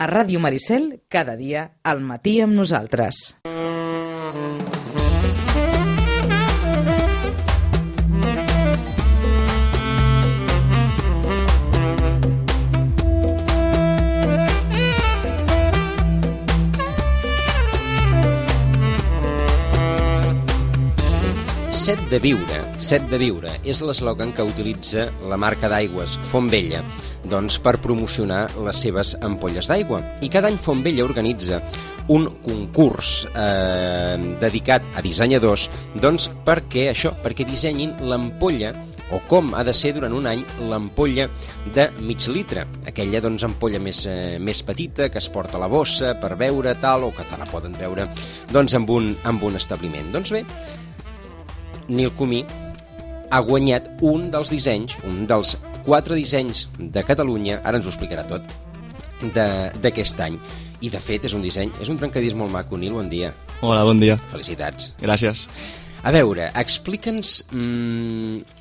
A Ràdio Maricel, cada dia, al matí amb nosaltres. Set de viure és l'eslògan que utilitza la marca d'aigües Fontvella per promocionar les seves ampolles d'aigua. I cada any Fontvella organitza un concurs dedicat a dissenyadors perquè dissenyin l'ampolla o com ha de ser durant un any l'ampolla de mig litre, aquella ampolla més petita que es porta a la bossa per beure tal, o que te la poden treure amb un establiment. Doncs bé, Nil Comí ha guanyat un dels 4 dissenys de Catalunya, ara ens ho explicarà tot, d'aquest any. I de fet és un trencadís molt maco. Nil, bon dia. Hola, bon dia. Felicitats. Gràcies. A veure, explica'ns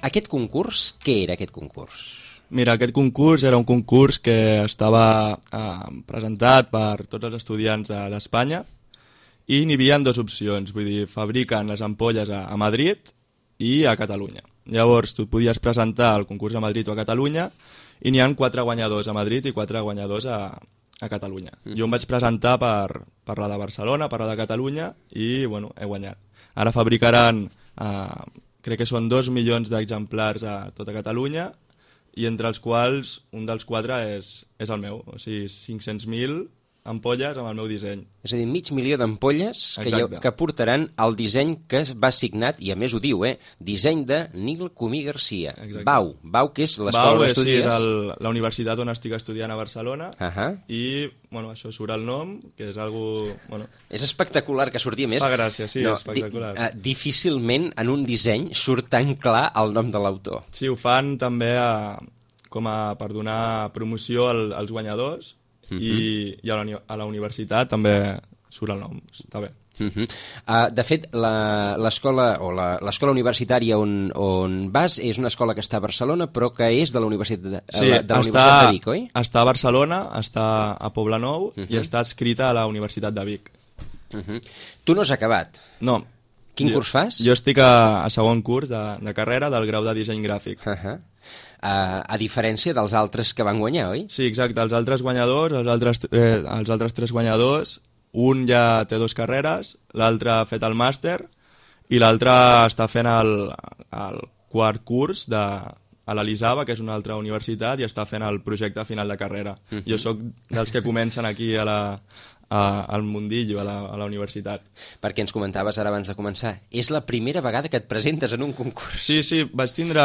aquest concurs, què era aquest concurs? Mira, aquest concurs era un concurs que estava presentat per tots els estudiants d'Espanya i n'hi havia dues opcions, vull dir, fabriquen les ampolles a Madrid i a Catalunya. Llavors, tu podies presentar el concurs a Madrid o a Catalunya i n'hi ha 4 guanyadors a Madrid i 4 guanyadors a Catalunya. Jo em vaig presentar per la de Barcelona, per la de Catalunya i, bueno, he guanyat. Ara fabricaran, crec que són 2 milions d'exemplars a tota Catalunya i entre els quals un dels 4 és el meu, o sigui, 500.000 ampolles amb el meu disseny. És a dir, 500.000 d'ampolles que portaran el disseny que va signat, i a més ho diu, disseny de Nil Comí Garcia. Bau, que és l'escola d'estudis. Sí, és la universitat on estic estudiant a Barcelona i, bueno, això surt el nom, que és algo... Bueno, és espectacular que surti, a més. Fa gràcia, sí, és espectacular. Difícilment en un disseny surt tan clar el nom de l'autor. Sí, ho fan també per donar promoció als guanyadors, i a la universitat també surt el nom, està bé. De fet, l'escola universitària on vas és una escola que està a Barcelona, però que és de la Universitat de Vic, oi? Està a Barcelona, està a Poblenou i està adscrita a la Universitat de Vic. Tu no has acabat? No. Quin curs fas? Jo estic a segon curs de carrera del grau de disseny gràfic. A diferència dels altres que van guanyar, oi? Sí, exacte. Els altres guanyadors, els altres 3 guanyadors, un ja té 2 carreres, l'altre ha fet el màster i l'altre està fent el quart curs a l'Elisava, que és una altra universitat, i està fent el projecte final de carrera. Jo sóc dels que comencen aquí al mundillo, a la universitat. Perquè ens comentaves ara abans de començar, és la primera vegada que et presentes en un concurs. Sí, vaig tindre,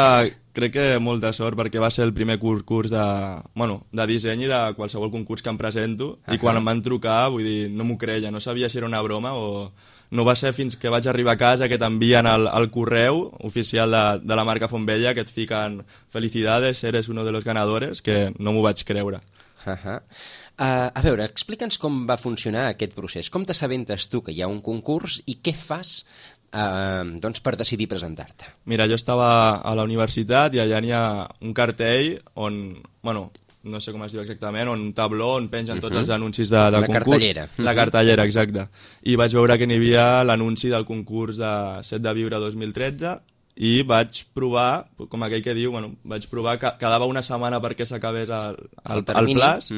crec que molta sort, perquè va ser el primer curs de disseny i de qualsevol concurs que em presento, i quan em van trucar, vull dir, no m'ho creia, no sabia si era una broma o... No va ser fins que vaig arribar a casa que t'envien el correu oficial de la marca Fontvella, que et fiquen felicidades, eres uno de los ganadores, que no m'ho vaig creure. A veure, explica'ns com va funcionar aquest procés. Com t'assabentes tu que hi ha un concurs i què fas per decidir presentar-te? Mira, jo estava a la universitat i allà n'hi ha un cartell on, bueno, no sé com es diu exactament, un tabló on pengen tots els anuncis de concurs. La cartellera. La cartellera, exacte. I vaig veure que n'hi havia l'anunci del concurs de Set de Viure 2013 i vaig provar, com aquell que diu, bueno, vaig provar que quedava una setmana perquè s'acabés el plaç.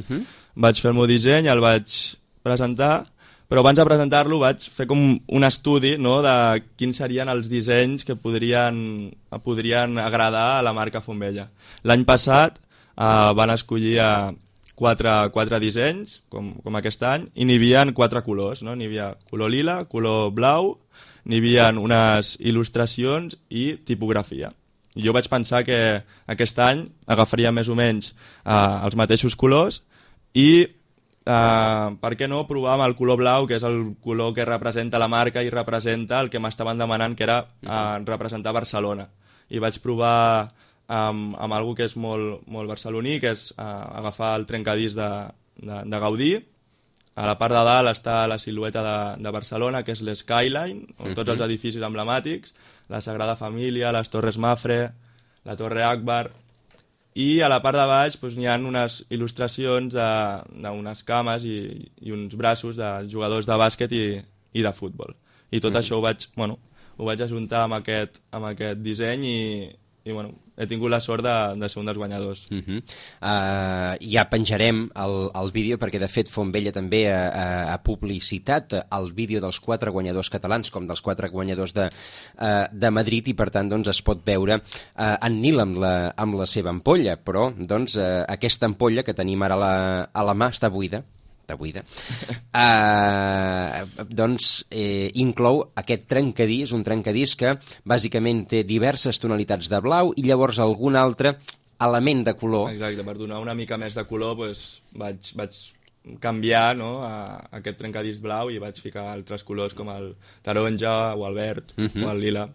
Vaig fer el meu disseny, el vaig presentar, però abans de presentar-lo vaig fer com un estudi, no?, de quins serien els dissenys que podrien agradar a la marca Fontvella. L'any passat van escollir 4 dissenys, com aquest any, i n'hi havia 4 colors, no? N'hi havia color lila, color blau, n'hi havia unes il·lustracions i tipografia. Jo vaig pensar que aquest any agafaria més o menys els mateixos colors i per què no provar amb el color blau, que és el color que representa la marca i representa el que m'estaven demanant, que era representar Barcelona. I vaig provar amb algo que és molt barceloní, que és agafar el trencadís de Gaudí. A la part de dalt està la silueta de Barcelona, que és l'Skyline, on tots els edificis emblemàtics, la Sagrada Família, les Torres Mafre, la Torre Akbar, i a la part de baix doncs, hi ha unes il·lustracions d'unes cames i uns braços de jugadors de bàsquet i de futbol. I tot això ho vaig ajuntar amb aquest disseny i bueno, he tingut la sort de ser un dels guanyadors. Ja penjarem el vídeo perquè de fet Fontvella també ha publicitat el vídeo dels 4 guanyadors catalans com dels 4 guanyadors de Madrid i per tant doncs, es pot veure en Nil amb la seva ampolla, però doncs, aquesta ampolla que tenim ara a la mà està buida. Doncs inclou aquest trencadís, un trencadís que bàsicament té diverses tonalitats de blau i llavors algun altre element de color. Exacte, per donar una mica més de color doncs, vaig canviar aquest trencadís blau i vaig ficar altres colors com el taronja o el verd o el lila.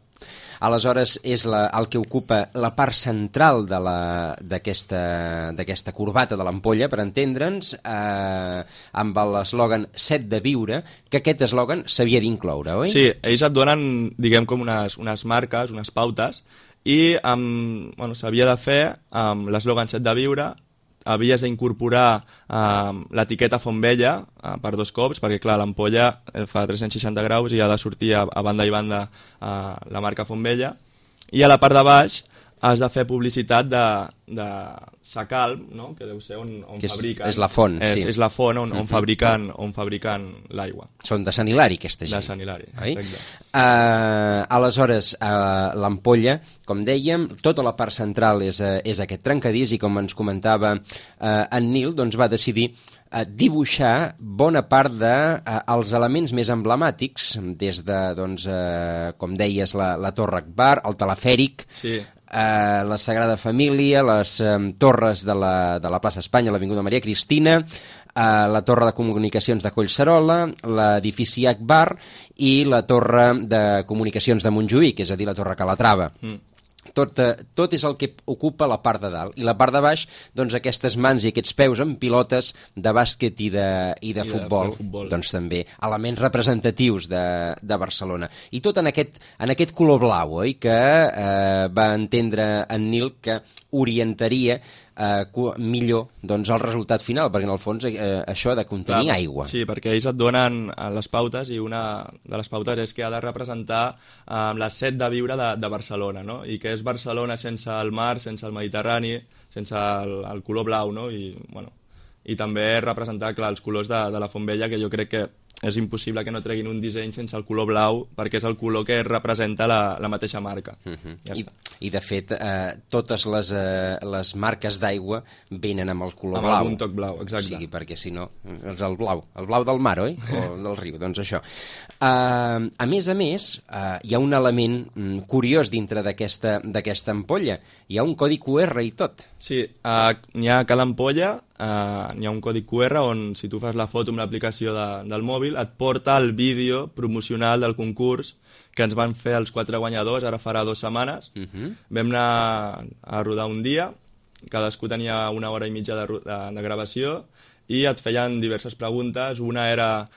Aleshores, és el que ocupa la part central d'aquesta corbata de l'ampolla, per entendre'ns, amb l'eslògan 7 de viure, que aquest eslògan s'havia d'incloure, oi? Sí, ells et donen, diguem, com unes marques, unes pautes, i s'havia de fer amb l'eslògan 7 de viure, havies d'incorporar l'etiqueta Fontvella per 2 cops, perquè clar, l'ampolla fa 360 graus i ha de sortir a banda i banda la marca Fontvella, i a la part de baix has de fer publicitat de Sacalm, no? Que deu ser on fabriquen. És la font, sí. És la font on fabriquen l'aigua. Són de Sant Hilari, aquesta gent. De Sant Hilari, exacte. Aleshores, l'ampolla, com dèiem, tota la part central és aquest trencadís i com ens comentava en Nil, doncs va decidir dibuixar bona part dels elements més emblemàtics, des de, doncs, com deies, la Torre Akbar, el telefèric, sí. La Sagrada Família, les torres de la plaça Espanya, l'Avinguda Maria Cristina, la torre de comunicacions de Collserola, l'edifici Akbar i la torre de comunicacions de Montjuïc, és a dir, la Torre Calatrava. Tot és el que ocupa la part de dalt. I la part de baix, doncs aquestes mans i aquests peus amb pilotes de bàsquet i de futbol, doncs també elements representatius de Barcelona. I tot en aquest color blau, oi? Que va entendre en Nil que orientaria millor doncs, el resultat final, perquè en el fons això ha de contenir aigua. Sí, perquè ells et donen les pautes i una de les pautes és que ha de representar les 7 de viure de Barcelona, no? I que és Barcelona sense el mar, sense el Mediterrani, sense el color blau, no? I també representar, clar, els colors de la Fontvella, que jo crec que és impossible que no treguin un disseny sense el color blau, perquè és el color que representa la mateixa marca. Ja està. I de fet, totes les marques d'aigua venen amb el color blau. Amb algun toc blau, exacte. O sigui, perquè si no, és el blau del mar, oi? O del riu, doncs això. A més, hi ha un element curiós dintre d'aquesta ampolla. Hi ha un codi QR i tot. Sí, n'hi ha a cada ampolla, n'hi ha un codi QR on si tu fas la foto amb l'aplicació del mòbil et porta el vídeo promocional del concurs que ens van fer els 4 guanyadors, ara farà 2 setmanes. Vam anar a rodar un dia, cadascú tenia 1 hora i mitja de gravació i et feien diverses preguntes. Una era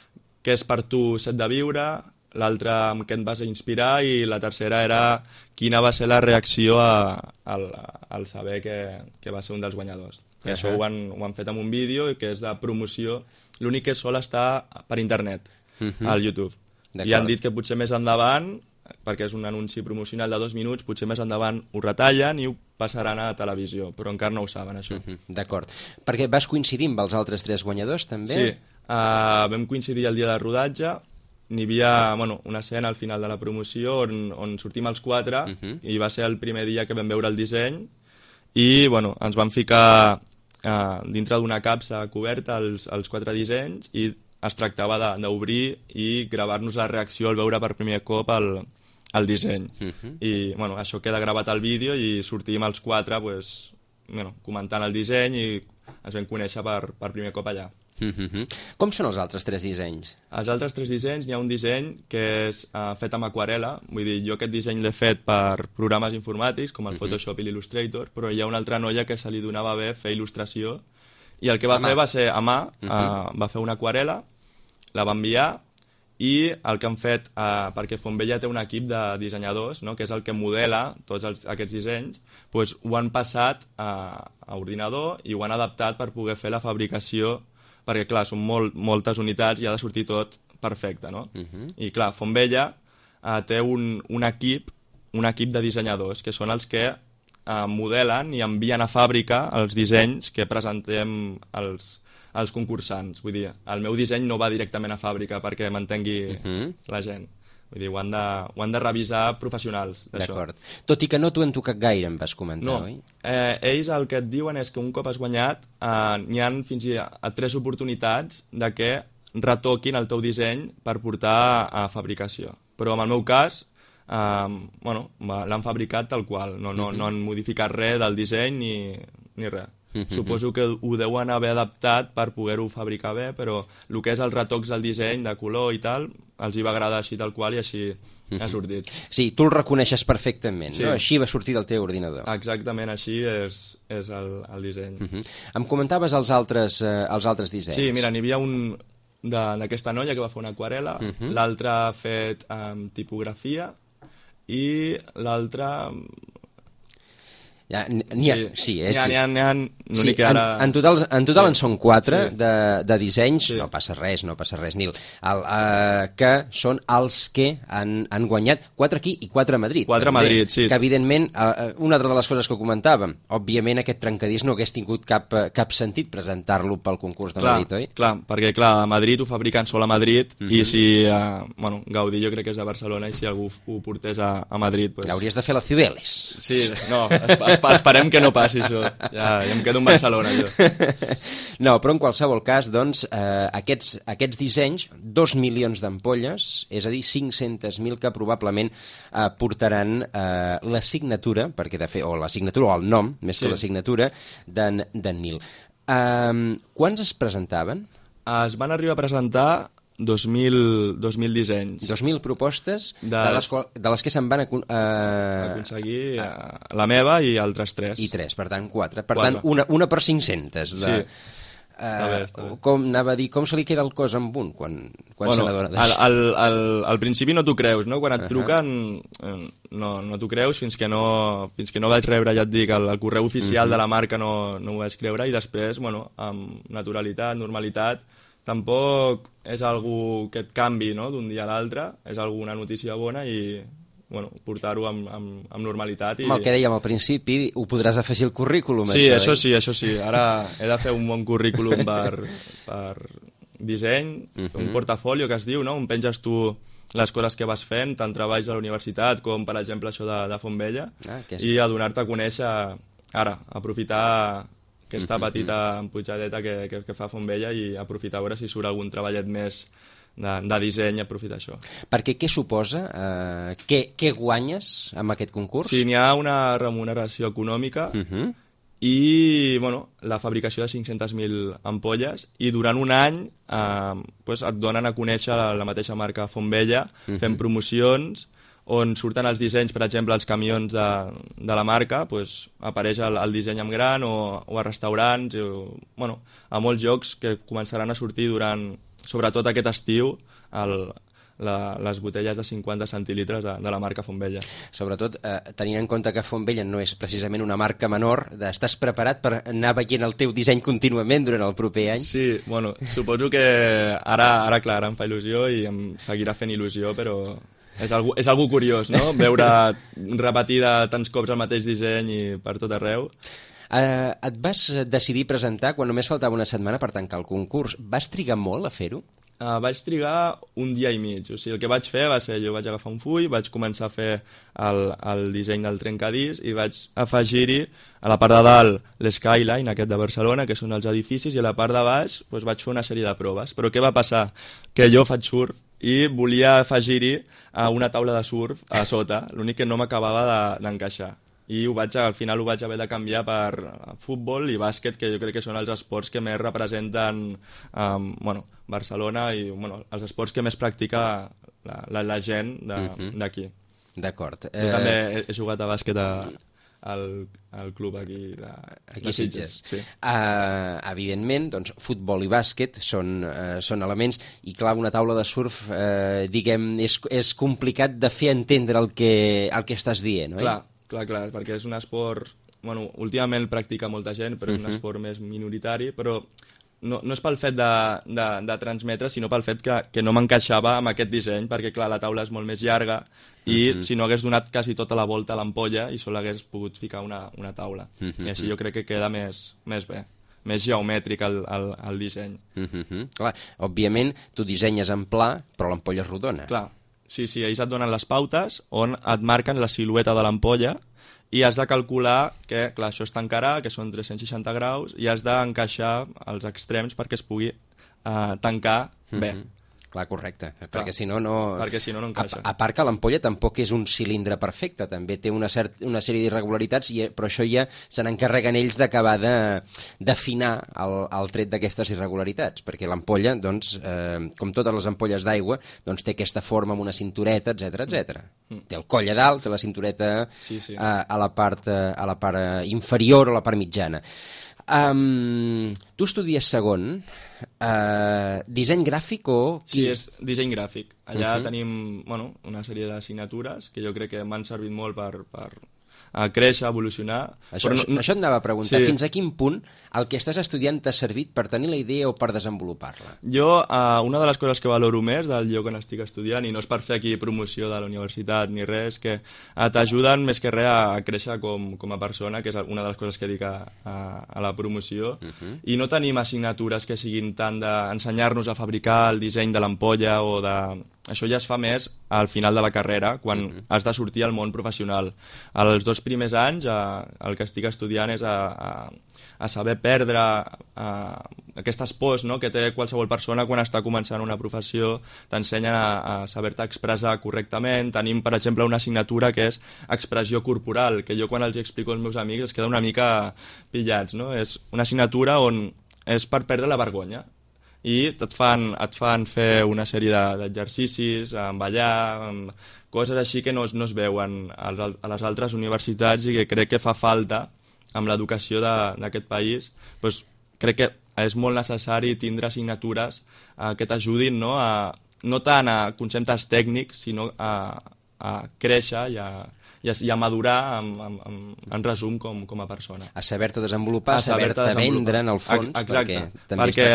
què és per tu 7 de viure, l'altra amb què et vas inspirar i la tercera era quina va ser la reacció al saber que va ser un dels guanyadors. I això ho han fet amb un vídeo que és de promoció, l'únic que sol estar per internet, al YouTube. I han dit que potser més endavant, perquè és un anunci promocional de 2 minuts, potser més endavant ho retallen i ho passaran a televisió, però encara no ho saben, això. D'acord. Perquè vas coincidir amb els altres 3 guanyadors, també? Sí, vam coincidir el dia de rodatge, n'hi havia una escena al final de la promoció on sortim els 4 i va ser el primer dia que vam veure el disseny i ens van ficar dintre d'una capsa coberta els 4 dissenys i es tractava d'obrir i gravar-nos la reacció al veure per primer cop el disseny. I això queda gravat al vídeo i sortim els 4 comentant el disseny i ens vam conèixer per primer cop allà. Com són els altres 3 dissenys? Els altres 3 dissenys, hi ha un disseny que és fet amb aquarela, vull dir, jo aquest disseny l'he fet per programes informàtics com el Photoshop i l'Illustrator, però hi ha una altra noia que se li donava bé fer il·lustració i el que va fer va ser a mà, va fer una aquarela, la va enviar i el que han fet, perquè Fontvella té un equip de dissenyadors, no?, que és el que modela tots aquests dissenys, doncs ho han passat a ordinador i ho han adaptat per poder fer la fabricació, perquè clar, són moltes unitats i ha de sortir tot perfecte, no? I clar, Fontvella té un equip de dissenyadors, que són els que modelen i envien a fàbrica els dissenys que presentem als concursants. Vull dir, el meu disseny no va directament a fàbrica perquè m'entengui la gent. Vull dir, ho han de revisar professionals, d'això. D'acord. Tot i que no t'ho han tocat gaire, em vas comentar, oi? Ells el que et diuen és que un cop has guanyat n'hi ha fins a 3 oportunitats de que retoquin el teu disseny per portar a fabricació. Però en el meu cas, l'han fabricat tal qual, no han modificat res del disseny ni res. Suposo que ho deuen haver adaptat per poder-ho fabricar bé, però el que és els retocs del disseny, de color i tal, els hi va agradar així tal qual i així ha sortit. Sí, tu el reconeixes perfectament, sí. No? Així va sortir del teu ordinador. Exactament, així és el disseny. Em comentaves els altres dissenys. Sí, mira, n'hi havia un d'aquesta noia que va fer una aquarel·la, l'altre ha fet tipografia i l'altre... N'hi ha, en total en són 4 de dissenys, no passa res, Nil, que són els que han guanyat 4 aquí i 4 a Madrid. 4 a Madrid, sí. Que evidentment, una altra de les coses que comentàvem, òbviament aquest trencadís no hagués tingut cap sentit presentar-lo pel concurs de Madrid, oi? Clar, perquè a Madrid ho fabriquen sol a Madrid i si, Gaudí jo crec que és de Barcelona i si algú ho portés a Madrid... Hauries de fer la Cibeles. Sí, no, esperem que no passi això. Ja em quedo en Barcelona, jo. No, però en qualsevol cas, doncs, aquests dissenys, 2 milions d'ampolles, és a dir, 500.000 que probablement portaran la signatura, o el nom, més que la signatura, d'en Nil. Quants es presentaven? Es van arribar a presentar 2.000 dissenys. 2.000 propostes, de les que se'n van aconseguir la meva i altres 3. I 3, per tant 4. Per tant, una per 500. Sí. Està bé. Com anava a dir, com se li queda el cos amb un quan se n'adona d'això? Al principi no t'ho creus, no? Quan et truquen no t'ho creus fins que no vaig rebre, ja et dic, el correu oficial de la marca no ho vaig creure i després, amb naturalitat, normalitat, tampoc és algú que et canvi, no?, d'un dia a l'altre, és alguna notícia bona i portar-ho amb normalitat. Amb el que dèiem al principi, ho podràs afegir al currículum. Sí, això sí. Ara he de fer un bon currículum per disseny, un portafolio que es diu, no?, on penges tu les coses que vas fent, tant treballs de la universitat com, per exemple, això de Fontvella, i a donar-te a conèixer ara, aprofitar aquesta petita empujadeta que fa Fontvella i aprofitar a veure si surt algun treballet més de disseny, aprofitar això. Perquè què suposa? Què guanyes amb aquest concurs? Sí, n'hi ha una remuneració econòmica i la fabricació de 500.000 ampolles i durant un any et donen a conèixer la mateixa marca Fontvella fent promocions on surten els dissenys, per exemple, els camions de la marca, apareix el disseny en gran o a restaurants, a molts llocs que començaran a sortir sobretot aquest estiu, les botelles de 50 centilitres de la marca Fontvella. Sobretot tenint en compte que Fontvella no és precisament una marca menor, estàs preparat per anar veient el teu disseny contínuament durant el proper any? Sí, suposo que ara em fa il·lusió i em seguirà fent il·lusió, però és algú curiós, no?, veure repetir tants cops el mateix disseny i per tot arreu. Et vas decidir presentar quan només faltava una setmana per tancar el concurs. Vas trigar molt a fer-ho? Vaig trigar un dia i mig. O sigui, el que vaig fer va ser, jo vaig agafar un full, vaig començar a fer el disseny del trencadís i vaig afegir-hi a la part de dalt l'Skyline, aquest de Barcelona, que són els edificis, i a la part de baix vaig fer una sèrie de proves. Però què va passar? Que jo faig surf i volia afegir-hi una taula de surf a sota, l'únic que no m'acabava d'encaixar. I al final ho vaig haver de canviar per futbol i bàsquet, que jo crec que són els esports que més representen Barcelona i els esports que més practica la gent d'aquí. D'acord. Jo també he jugat a bàsquet al club aquí aquí de Sitges. Sí. Evidentment, doncs, futbol i bàsquet són elements, i clar, una taula de surf, diguem, és complicat de fer entendre el que estàs dient, oi? Clar, perquè és un esport... Bueno, últimament el practica molta gent, però és un esport més minoritari, però no és pel fet de transmetre, sinó pel fet que no m'encaixava amb aquest disseny, perquè clar, la taula és molt més llarga i si no hagués donat quasi tota la volta a l'ampolla i sol hagués pogut ficar una taula. I així jo crec que queda més bé, més geomètric el disseny. Clar, òbviament tu dissenyes en pla, però l'ampolla és rodona. Clar, sí, ells et donen les pautes on et marquen la silueta de l'ampolla i has de calcular que, clar, això es tancarà, que són 360 graus, i has d'encaixar els extrems perquè es pugui tancar bé. Clar, correcte, perquè si no no encaixa. A part que l'ampolla tampoc és un cilindre perfecte, també té una sèrie d'irregularitats, però això ja se n'encarreguen ells d'acabar d'afinar el tret d'aquestes irregularitats, perquè l'ampolla, doncs, com totes les ampolles d'aigua, doncs té aquesta forma amb una cintureta, etc. Té el coll a dalt, té la cintureta a la part inferior o a la part mitjana. Tu estudies segon, disseny gràfic o... Sí, és disseny gràfic. Allà tenim una sèrie d'assignatures que jo crec que m'han servit molt per créixer, evolucionar... Això et anava a preguntar, fins a quin punt el que estàs estudiant t'ha servit per tenir la idea o per desenvolupar-la? Jo, una de les coses que valoro més del lloc on estic estudiant, i no és per fer aquí promoció de la universitat ni res, que t'ajuden més que res a créixer com a persona, que és una de les coses que dic a la promoció, i no tenim assignatures que siguin tant d'ensenyar-nos a fabricar el disseny de l'ampolla o de... Això ja es fa més al final de la carrera, quan has de sortir al món professional. Els 2 primers anys el que estic estudiant és a saber perdre aquestes pors, no?, que té qualsevol persona quan està començant una professió. T'ensenyen a saber-te expressar correctament. Tenim, per exemple, una assignatura que és expressió corporal, que jo quan els explico als meus amics es queda una mica pillats, no? És una assignatura on és per perdre la vergonya. I et fan fer una sèrie d'exercicis, ballar, coses així que no es veuen a les altres universitats i que crec que fa falta amb l'educació d'aquest país. Doncs crec que és molt necessari tindre assignatures que t'ajudin, no tant a conceptes tècnics, sinó a créixer i a madurar en resum com a persona. A saber-te desenvolupar, a saber-te vendre en el fons. Exacte, perquè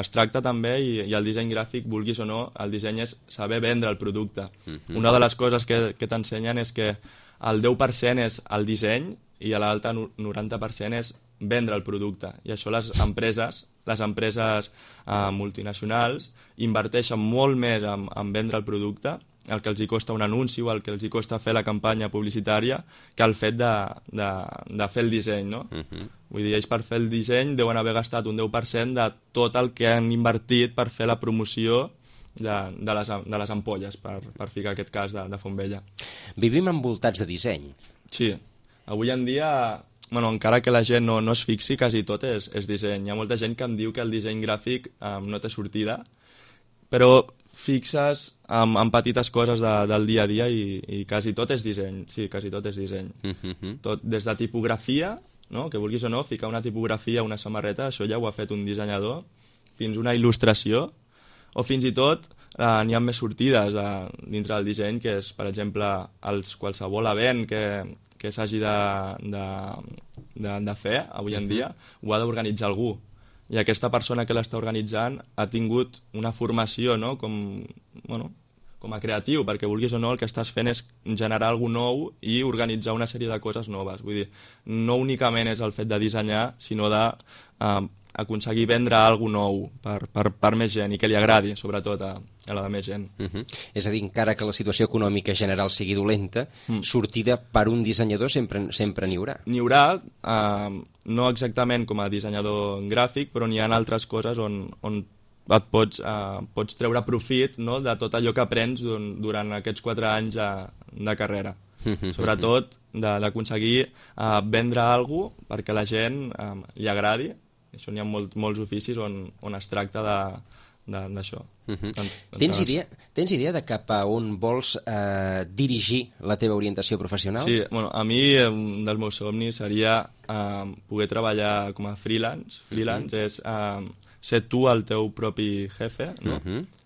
es tracta també, i el disseny gràfic, vulguis o no, el disseny és saber vendre el producte. Una de les coses que t'ensenyen és que el 10% és el disseny i l'altre 90% és vendre el producte. I això les empreses multinacionals inverteixen molt més en vendre el producte, el que els hi costa un anunci o el que els hi costa fer la campanya publicitària, que el fet de fer el disseny, no? Vull dir, ells per fer el disseny deuen haver gastat un 10% de tot el que han invertit per fer la promoció de les ampolles, per ficar aquest cas de Fontvella. Vivim envoltats de disseny. Sí. Avui en dia, encara que la gent no es fixi, quasi tot és disseny. Hi ha molta gent que em diu que el disseny gràfic no té sortida, però fixes en petites coses del dia a dia i quasi tot és disseny. Sí, quasi tot és disseny. Tot, des de tipografia, no?, que vulguis o no, ficar una tipografia a una samarreta, això ja ho ha fet un dissenyador, fins una il·lustració, o fins i tot n'hi ha més sortides dintre del disseny, que és, per exemple, qualsevol event que s'hagi de fer avui en dia, ho ha d'organitzar algú. I aquesta persona que l'està organitzant ha tingut una formació, no?, com a creatiu, perquè vulguis o no el que estàs fent és generar alguna nou i organitzar una sèrie de coses noves. Vull dir, no únicament és el fet de dissenyar, sinó d'aconseguir vendre alguna nou per més gent i que li agradi, sobretot a la de més gent. És a dir, encara que la situació econòmica general sigui dolenta, sortida per un dissenyador sempre n'hi haurà. N'hi haurà, no exactament com a dissenyador gràfic, però n'hi ha altres coses on et pots treure profit, no?, de tot allò que aprens durant aquests 4 anys de carrera. Sobretot d'aconseguir vendre alguna cosa perquè la gent li agradi. Això n'hi ha molts oficis on es tracta d'això. Tens idea de cap a on vols dirigir la teva orientació professional? Sí, bueno, a mi un dels meus somnis seria poder treballar com a freelance. Freelance és ser tu el teu propi jefe, no?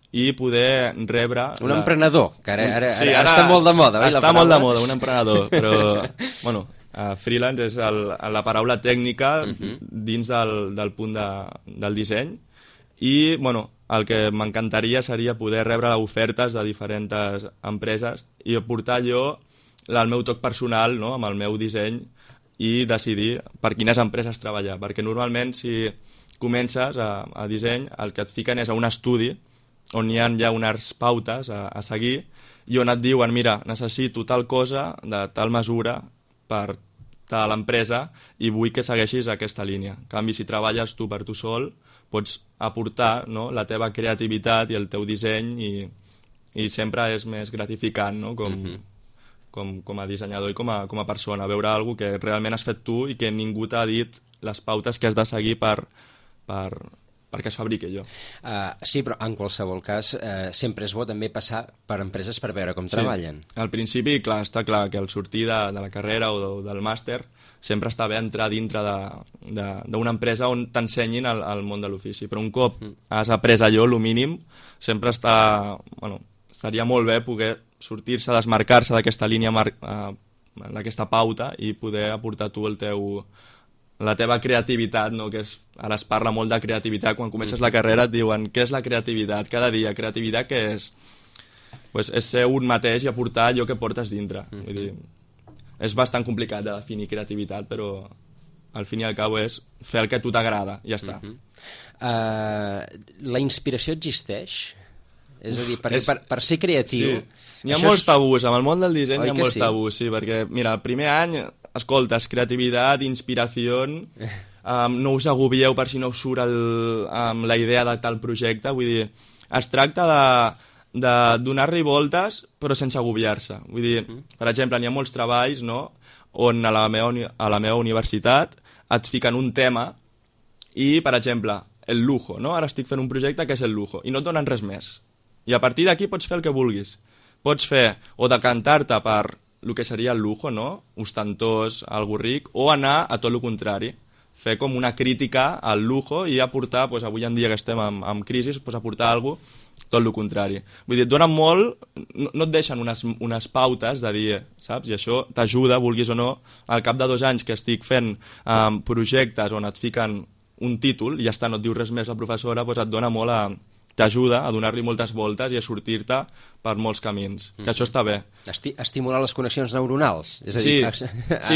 I poder rebre... Un emprenedor, que ara està molt de moda. Està molt de moda, un emprenedor, però bueno, freelance és la paraula tècnica dins del punt del disseny i bueno, el que m'encantaria seria poder rebre ofertes de diferents empreses i aportar jo el meu toc personal, no?, amb el meu disseny i decidir per quines empreses treballar, perquè normalment si comences a disseny el que et fiquen és a un estudi on hi ha ja unes pautes a seguir i on et diuen, mira, necessito tal cosa de tal mesura per tal empresa i vull que segueixis aquesta línia. En canvi, si treballes tu per tu sol, pots aportar, no?, la teva creativitat i el teu disseny i sempre és més gratificant, no?, com a dissenyador i com a persona, veure alguna cosa que realment has fet tu i que ningú t'ha dit les pautes que has de seguir perquè es fabriqui allò. Sí, però en qualsevol cas sempre és bo també passar per empreses per veure com treballen. Al principi, clar, està clar que al sortir de la carrera o del màster sempre està bé entrar dintre d'una empresa on t'ensenyin el món de l'ofici, però un cop has après allò, el mínim, sempre estaria molt bé poder sortir-se, desmarcar-se d'aquesta línia, d'aquesta pauta i poder aportar tu la teva creativitat, no? Que ara es parla molt de creativitat, quan comences la carrera et diuen què és la creativitat, cada dia, creativitat què és? Pues és ser un mateix i aportar allò que portes dintre. Vull dir, és bastant complicat de definir creativitat, però al fin i al cabo és fer el que a tu t'agrada, ja està. La inspiració existeix? És a dir, per ser creatiu... Sí. N'hi ha molts tabús, amb el món del disseny hi ha molts tabús, sí, perquè, mira, el primer any, escoltes, creativitat, inspiració, no us agobieu per si no us surt la idea de tal projecte, vull dir, es tracta de donar-li voltes però sense agobiar-se. Vull dir, per exemple, n'hi ha molts treballs, no?, on a la meva universitat et fiquen un tema i, per exemple, el lujo, no? Ara estic fent un projecte que és el lujo i no et donen res més. I a partir d'aquí pots fer el que vulguis. Pots fer o decantar-te per el que seria el lujo, no?, ostentós, algo ric, o anar a tot el contrari, fer com una crítica al lujo i aportar, doncs, avui en dia que estem en crisi, doncs, aportar alguna cosa tot el contrari. Vull dir, et donen molt, no et deixen unes pautes de dir, saps? I això t'ajuda, vulguis o no, al cap de 2 anys que estic fent projectes on et fiquen un títol i ja està, no et diu res més la professora, doncs et dona molt t'ajuda a donar-li moltes voltes i a sortir-te per molts camins, que això està bé. Estimular les connexions neuronals, és a dir,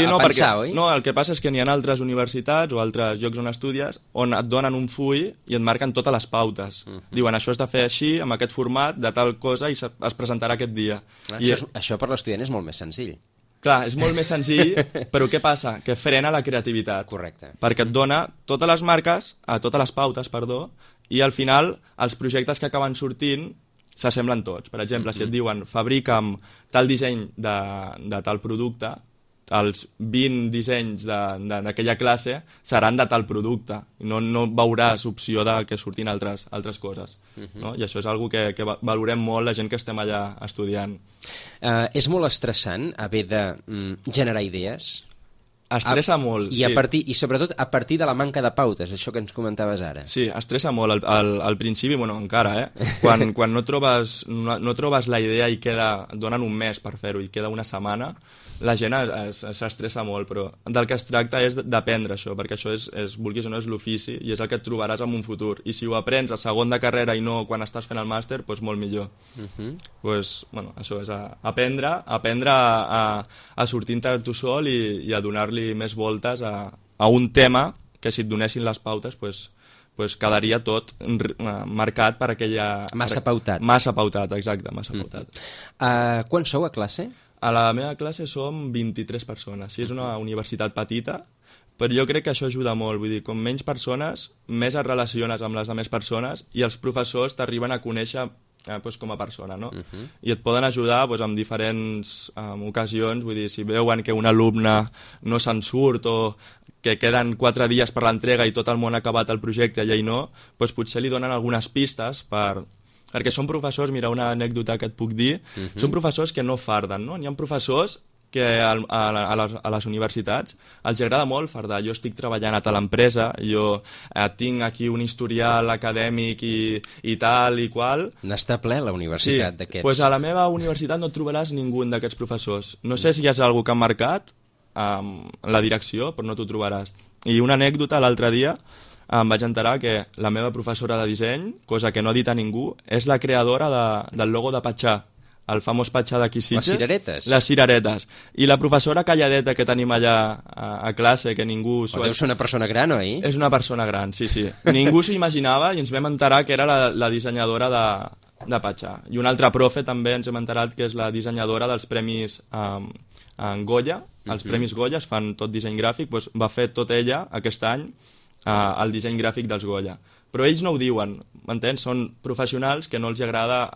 no, pensar, oi? No, el que passa és que n'hi ha altres universitats o altres llocs on estudies on et donen un full i et marquen totes les pautes. Diuen, això has de fer així, amb aquest format, de tal cosa, i es presentarà aquest dia. Això per l'estudiant és molt més senzill. Clar, és molt més senzill, però què passa? Que frena la creativitat. Correcte. Perquè et dona totes les marques, totes les pautes, perdó, i al final els projectes que acaben sortint s'assemblen tots. Per exemple, si et diuen fabrica'm tal disseny de tal producte, els 20 dissenys d'aquella classe seran de tal producte. No veuràs opció de que surtin altres coses. No? I això és una cosa que valorem molt la gent que estem allà estudiant. És molt estressant haver de generar idees? Estressa molt, sí. I sobretot a partir de la manca de pautes, això que ens comentaves ara. Sí, estressa molt. Al principi, bueno, encara, quan no trobes la idea i et donen un mes per fer-ho i queda una setmana, la gent s'estressa molt, però del que es tracta és d'aprendre això, perquè això vulguis o no, és l'ofici i és el que et trobaràs en un futur. I si ho aprens a segon de carrera i no quan estàs fent el màster, doncs molt millor. Això és aprendre a sortir-te tu sol i a donar-li més voltes a un tema que si et donessin les pautes, doncs quedaria tot marcat per aquella... Massa pautat. Massa pautat, exacte, massa pautat. Quan sou a classe? A la meva classe som 23 persones. Sí, és una universitat petita, però jo crec que això ajuda molt. Vull dir, com menys persones, més et relaciones amb les altres persones i els professors t'arriben a conèixer doncs, com a persona, no? I et poden ajudar doncs, en diferents ocasions, vull dir, si veuen que un alumne no se'n surt o que queden 4 dies per l'entrega i tot el món ha acabat el projecte i ell no, doncs potser li donen algunes pistes perquè són professors, mira, una anècdota que et puc dir, són professors que no farden, no? N'hi ha professors que a les universitats els agrada molt fardar. Jo estic treballant a tal empresa, jo tinc aquí un historial acadèmic i tal i qual. N'està ple la universitat d'aquests. Sí, doncs a la meva universitat no trobaràs ningú d'aquests professors. No sé si és algú que han marcat la direcció, però no t'ho trobaràs. I una anècdota, l'altre dia em vaig enterar que la meva professora de disseny, cosa que no ha dit a ningú, és la creadora del logo de Patxà, el famós Patxà d'aquí Sitges. Les cireretes. Les cireretes. I la professora calladeta que tenim allà a classe, que ningú... Però deu ser una persona gran, oi? És una persona gran, sí. Ningú s'ho imaginava i ens vam enterar que era la dissenyadora de Patxà. I un altre profe també ens hem enterat que és la dissenyadora dels premis en Goya. Els premis Goya es fan tot disseny gràfic, doncs va fer tot ella aquest any el disseny gràfic dels Goya. Però ells no ho diuen, m'entens? Són professionals que no els agrada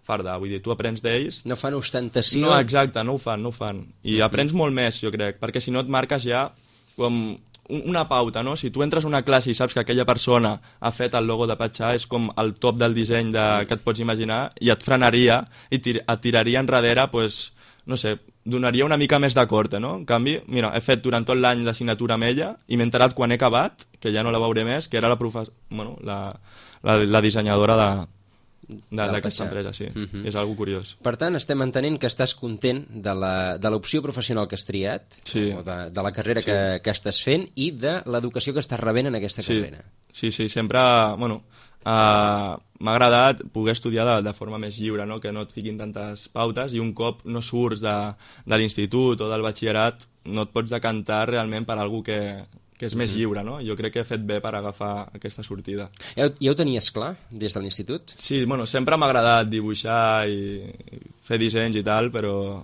fardar, vull dir, tu aprens d'ells... No fan ostentació... No, exacte, no ho fan. I aprens molt més, jo crec, perquè si no et marques ja com una pauta, no? Si tu entres a una classe i saps que aquella persona ha fet el logo de Patxà, és com el top del disseny que et pots imaginar, i et frenaria i et tiraria enrere, doncs, no sé, donaria una mica més de corte, no? En canvi, mira, he fet durant tot l'any l'assignatura amb ella i m'he enterat quan he acabat, que ja no la veuré més, que era la dissenyadora d'aquesta empresa, sí. És algo curiós. Per tant, estem entenent que estàs content de l'opció professional que has triat, o de la carrera que estàs fent i de l'educació que estàs rebent en aquesta carrera. Sí, sempre... m'ha agradat poder estudiar de forma més lliure, no? Que no et fiquin tantes pautes i un cop no surts de l'institut o del batxillerat no et pots decantar realment per algú que és més lliure, no? Jo crec que he fet bé per agafar aquesta sortida. Ja ho tenies clar des de l'institut? Sí, sempre m'ha agradat dibuixar i fer dissenys i tal, però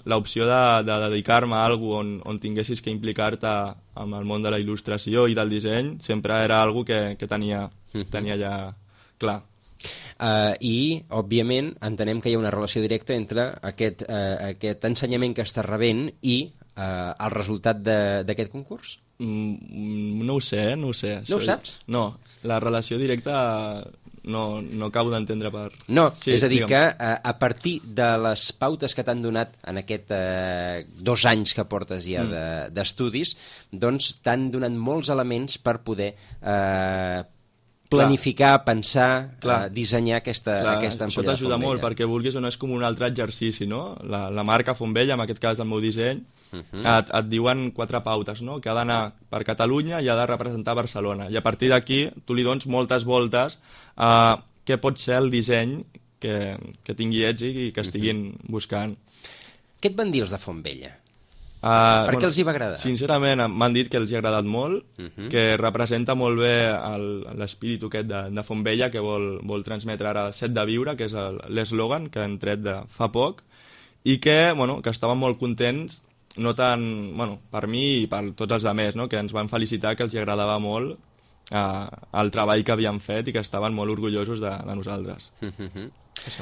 l'opció de dedicar-me a alguna on tinguessis que implicar-te amb el món de la il·lustració i del disseny sempre era algo que tenia ja clar. I, òbviament, entenem que hi ha una relació directa entre aquest ensenyament que estàs rebent i el resultat d'aquest concurs? No ho sé. No ho saps? No, la relació directa no acabo d'entendre per... No, sí, és a dir, que a partir de les pautes que t'han donat en aquest 2 anys que portes ja d'estudis, doncs t'han donat molts elements per poder planificar, pensar, dissenyar aquesta ampolla. Això t'ajuda molt, perquè vulguis o no és com un altre exercici, no? La marca Fontvella, en aquest cas del meu disseny, et diuen 4 pautes, no? Que ha d'anar per Catalunya i ha de representar Barcelona. I a partir d'aquí tu li dones moltes voltes a què pot ser el disseny que tingui èxit i que estiguin buscant. Què et van dir els de Fontvella? Per què els hi va agradar? Sincerament m'han dit que els hi ha agradat molt, que representa molt bé l'espíritu aquest de Fontvella que vol transmetre ara Set de Viure, que és l'eslògan que han tret de fa poc, i que estaven molt contents, no tant per mi i per tots els altres, no? Que ens van felicitar, que els hi agradava molt el treball que havíem fet i que estaven molt orgullosos de nosaltres.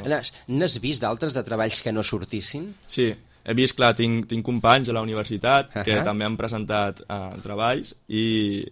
N'has vist d'altres de treballs que no sortissin? Sí. He vist, clar, tinc companys a la universitat que també han presentat treballs i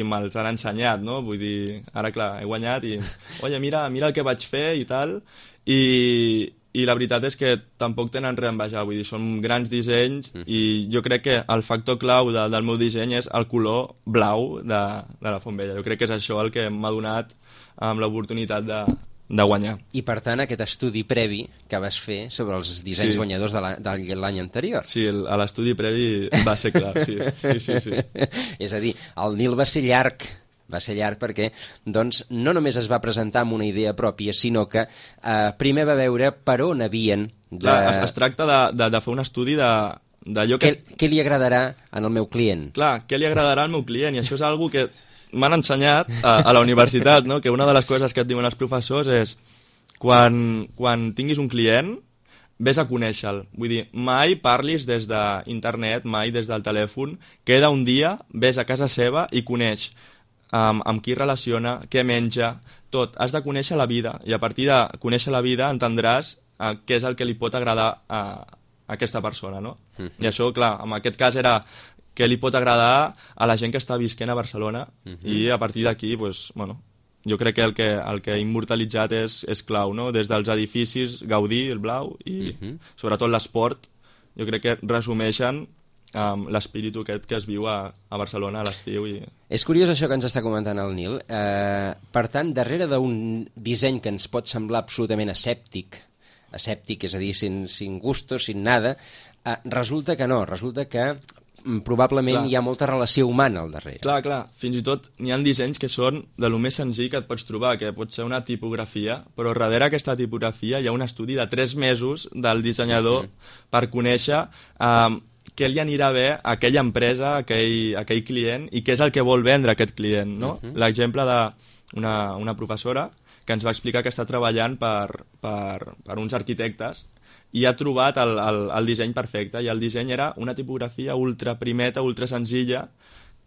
me'ls han ensenyat, no? Vull dir, ara, clar, he guanyat i... Oye, mira el que vaig fer i tal. I la veritat és que tampoc tenen res a envejar, vull dir, són grans dissenys i jo crec que el factor clau del meu disseny és el color blau de la Fontvella. Jo crec que és això el que m'ha donat l'oportunitat de guanyar. I per tant aquest estudi previ que vas fer sobre els dissenys guanyadors de l'any anterior. Sí, l'estudi previ va ser clar, sí. És a dir, el Nil va ser llarg perquè doncs, no només es va presentar amb una idea pròpia, sinó que primer va veure per on havien... Es tracta de fer un estudi d'allò que... Què li agradarà al meu client? Clar, què li agradarà al meu client, i això és algo que m'han ensenyat a la universitat, no? Que una de les coses que et diuen els professors és quan tinguis un client, vés a conèixer-lo. Vull dir, mai parlis des d'internet, mai des del telèfon, queda un dia, vés a casa seva i coneix amb qui relaciona, què menja, tot. Has de conèixer la vida, i a partir de conèixer la vida entendràs què és el que li pot agradar a aquesta persona, no? I això, clar, en aquest cas era què li pot agradar a la gent que està visquent a Barcelona, i a partir d'aquí, doncs, bueno, jo crec que el que ha immortalitzat és clau, no? Des dels edificis, gaudir, el blau, i sobretot l'esport, jo crec que resumeixen l'espíritu aquest que es viu a Barcelona a l'estiu. És curiós això que ens està comentant el Nil. Per tant, darrere d'un disseny que ens pot semblar absolutament asèptic, és a dir, sin gustos, sin nada, resulta que no, resulta que probablement hi ha molta relació humana al darrere. Clar, fins i tot n'hi ha dissenys que són de lo més senzill que et pots trobar, que pot ser una tipografia, però darrere aquesta tipografia hi ha un estudi de 3 mesos del dissenyador per conèixer què li anirà bé a aquella empresa, a aquell client, i què és el que vol vendre aquest client, no? L'exemple d'una professora que ens va explicar que està treballant per uns arquitectes i ha trobat el disseny perfecte, i el disseny era una tipografia ultra primeta, ultra senzilla,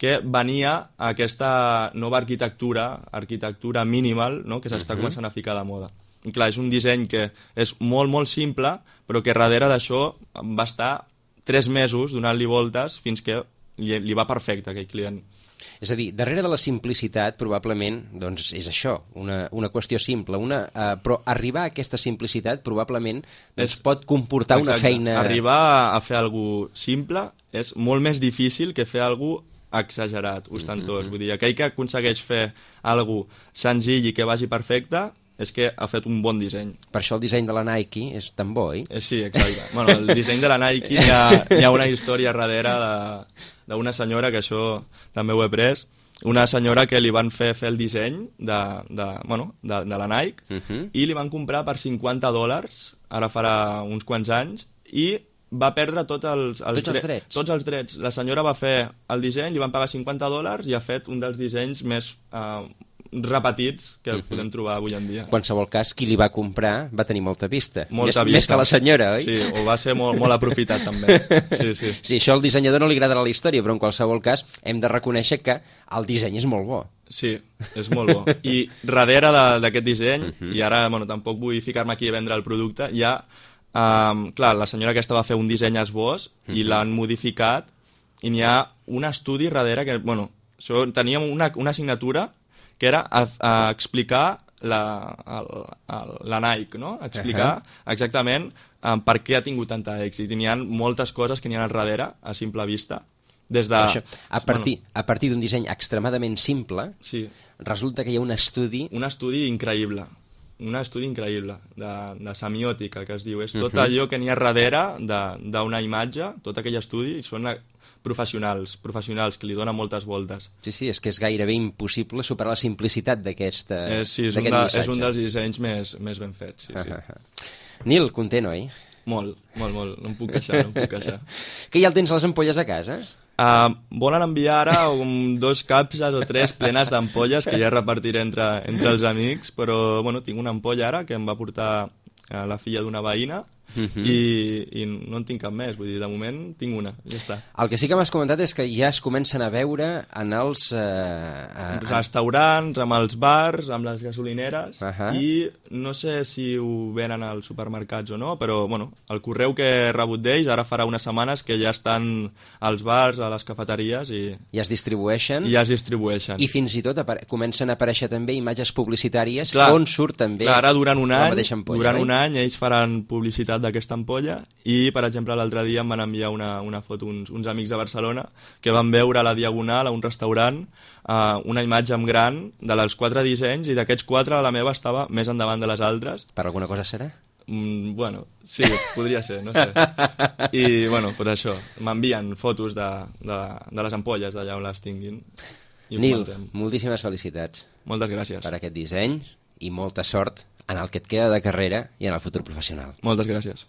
que venia a aquesta nova arquitectura minimal, no? Que s'està començant a ficar de moda. I clar, és un disseny que és molt, molt simple, però que darrere d'això va estar 3 mesos donant-li voltes fins que li va perfecte a aquell client. És a dir, darrere de la simplicitat probablement doncs, és això, una qüestió simple, però arribar a aquesta simplicitat probablement pot comportar una feina... Arribar a fer alguna cosa simple és molt més difícil que fer alguna cosa exagerat, ostentós. Vull dir, aquell que aconsegueix fer alguna cosa senzill i que vagi perfecte és que ha fet un bon disseny. Per això el disseny de la Nike és tan bo, oi? Sí, exacte. Bueno, el disseny de la Nike hi ha una història darrere d'una senyora, que això també ho he pres, una senyora que li van fer el disseny de la Nike i li van comprar per $50, ara farà uns quants anys, i va perdre tots els drets. Tots els drets. La senyora va fer el disseny, li van pagar $50 i ha fet un dels dissenys més repetits que podem trobar avui en dia. En qualsevol cas, qui li va comprar va tenir molta vista. Molta Més que la senyora, oi? Sí, o va ser molt aprofitat també. Sí, això al dissenyador no li agradarà la història, però en qualsevol cas hem de reconèixer que el disseny és molt bo. Sí, és molt bo. I darrere d'aquest disseny, i ara tampoc vull ficar-me aquí a vendre el producte, hi ha, clar, la senyora aquesta va fer un disseny esbós i l'han modificat, i n'hi ha un estudi darrere que, teníem una assignatura que era explicar la Nike, no? Explicar exactament per què ha tingut tanta èxit. I n'hi ha moltes coses que n'hi ha al darrere, a simple vista. A partir d'un disseny extremadament simple, resulta que hi ha un estudi... Un estudi increïble. De semiòtica, que es diu. És tot allò que n'hi ha darrere d'una imatge, tot aquell estudi, són professionals que li donen moltes voltes. Sí, és que és gairebé impossible superar la simplicitat d'aquest missatge. És un dels dissenys més ben fets, sí. Nil, content, oi? Molt. No em puc queixar. Que ja el tens a les ampolles a casa? Volen enviar ara 2 capses o 3 plenes d'ampolles que ja repartiré entre els amics, però tinc una ampolla ara que em va portar la filla d'una veïna i no en tinc cap més, vull dir, de moment tinc una, ja està. El que sí que m'has comentat és que ja es comencen a veure en els... restaurants, amb els bars, amb les gasolineres, i no sé si ho venen als supermercats o no, però el correu que he rebut d'ells ara farà unes setmanes que ja estan als bars, a les cafeteries i... Ja es distribueixen. I fins i tot comencen a aparèixer també imatges publicitàries on surt també ara durant un la mateixa ampolla. Durant un any ells faran publicitat d'aquesta ampolla i, per exemple, l'altre dia em van enviar una foto uns amics de Barcelona que van veure a la Diagonal, a un restaurant, una imatge en gran de les 4 dissenys, i d'aquests 4 la meva estava més endavant de les altres. Per alguna cosa serà? Sí, podria ser, no sé. I, per això, m'envien fotos de les ampolles d'allà on les tinguin. Nil, moltíssimes felicitats. Moltes gràcies. Per aquest disseny i molta sort en el que et queda de carrera i en el futur professional. Moltes gràcies.